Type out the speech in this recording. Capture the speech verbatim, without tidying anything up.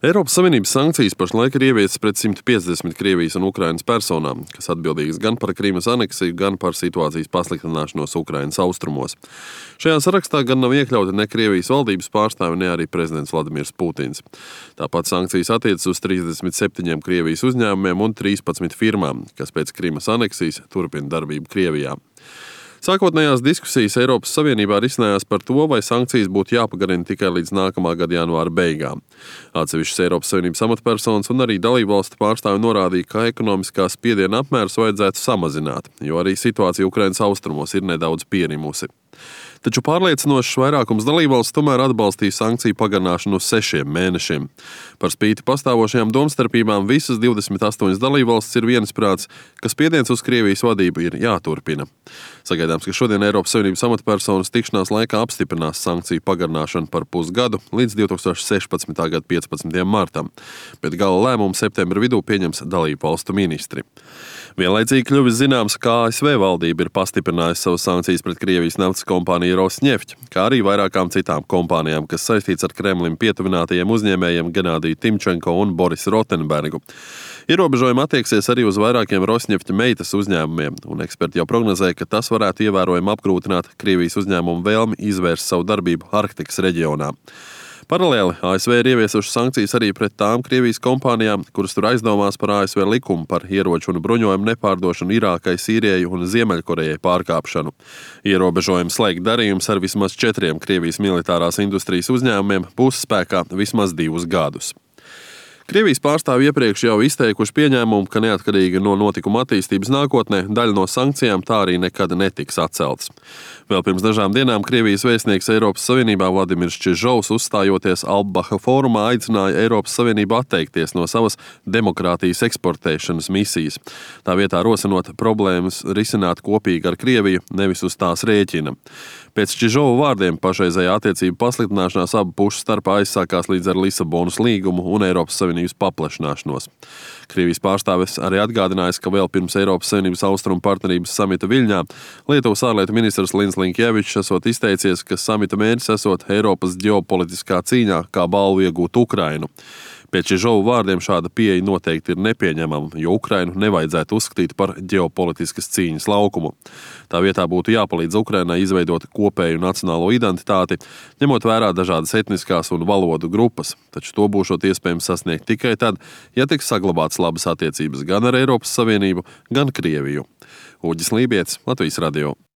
Eiropas Savienības sankcijas pašlaik ir ieviestas pret simt piecdesmit Krievijas un Ukrainas personām, kas atbildīgas gan par Krimas aneksiju, gan par situācijas pasliktināšanos Ukrainas austrumos. Šajā sarakstā gan nav iekļauti ne Krievijas valdības pārstāvi, ne arī prezidents Vladimirs Putins. Tāpat sankcijas attiecas uz trīsdesmit septiņiem Krievijas uzņēmumiem un trīspadsmit firmām, kas pēc Krimas aneksijas turpina darbību Krievijā. Sākotnējās diskusijas Eiropas Savienībā risinājās par to, vai sankcijas būtu jāpagarina tikai līdz nākamā gada janvāra beigām. Atsevišķas Eiropas Savienības amatpersonas un arī dalībvalstu pārstāvi norādīja, ka ekonomiskā spiediena apmērus vajadzētu samazināt, jo arī situācija Ukrainas austrumos ir nedaudz pierimusi. Taču pārliecinošs vairākums dalībvalstu tomēr atbalstīja sankciju pagarināšanu uz sešiem mēnešiem. Par spīti pastāvošajām domstarpībām visas divdesmit astoņas dalībvalstis ir viensprāts, ka spiediens uz Krievijas vadību ir jāturpina. Sagaidāms, ka šodien Eiropas Savienības amatpersonas tikšanās laikā apstiprinās sankciju pagarināšanu par pusgadu līdz divi tūkstoši sešpadsmitā gada piecpadsmitajam martam, bet gala lēmumu septembra vidū pieņems dalībvalstu ministri. Vienlaicīgi kļuvis zināms, ka A S V valdība ir pastiprinājusi savas sankcijas pret Krievijas naftas kompāniju Rosneft, kā arī vairākām citām kompānijām, kas saistīts ar Kremlim pietuvinātajiem uzņēmējiem Genādiju Timčenko un Borisu Rotenbergu. Ierobežojumi attieksies arī uz vairākiem Rosnefta meitas uzņēmumiem, un eksperti jau prognozē, ka tas varētu ievērojami apgrūtināt Krievijas uzņēmumu vēlmi izvērst savu darbību Arktikas reģionā. Paralēli A S V ir ieviesuši sankcijas arī pret tām Krievijas kompānijām, kuras tur aizdomās par A S V likumu par ieroču un bruņojumu nepārdošanu Irākai, Sīrijai un Ziemeļkorejai pārkāpšanu. Ierobežojumi slēgt darījumus ar vismaz četriem Krievijas militārās industrijas uzņēmumiem būs spēkā vismaz divus gadus. Krievijas pārstāvji iepriekš jau izteikuši pieņēmumu, ka neatkarīgi no notikuma attīstības nākotnē daļa no sankcijām tā arī nekad netiks atceltas. Vēl pirms dažām dienām Krievijas vēstnieks Eiropas Savienībā Vladimirs Čižovs, uzstājoties Albaha fórumā, aicināja Eiropas Savienību atteikties no savas demokrātijas eksportēšanas misijas. Tā vietā rosinot problēmas risināt kopīgi ar Krieviju, nevis uz tās rēķina. Pēc Čižova vārdiem pašreizējā attiecību pasliktināšanās abu pušu starpā aizsākās līdz ar Lisabonas līgumu un Eiropas Savienības paplašināšanos. Krievijas pārstāvis arī atgādinājis, ka vēl pirms Eiropas Savienības austrumu partnerības samita Viļņā Lietuvas ārlietu ministrs Lins Linkevičs esot izteicies, ka samita mērķis esot Eiropas ģeopolitiskā cīņā kā balvu iegūt Ukrainu. Pēc Čižova vārdiem šāda pieeja noteikti ir nepieņemama, jo Ukrainu nevajadzētu uzskatīt par ģeopolitiskas cīņas laukumu. Tā vietā būtu jāpalīdz Ukrainai izveidot kopēju nacionālo identitāti, ņemot vērā dažādas etniskās un valodu grupas, taču to būšot iespējams sasniegt tikai tad, ja tiks saglabātas labas attiecības gan ar Eiropas Savienību, gan Krieviju. Uģis Lībietis, Latvijas radio.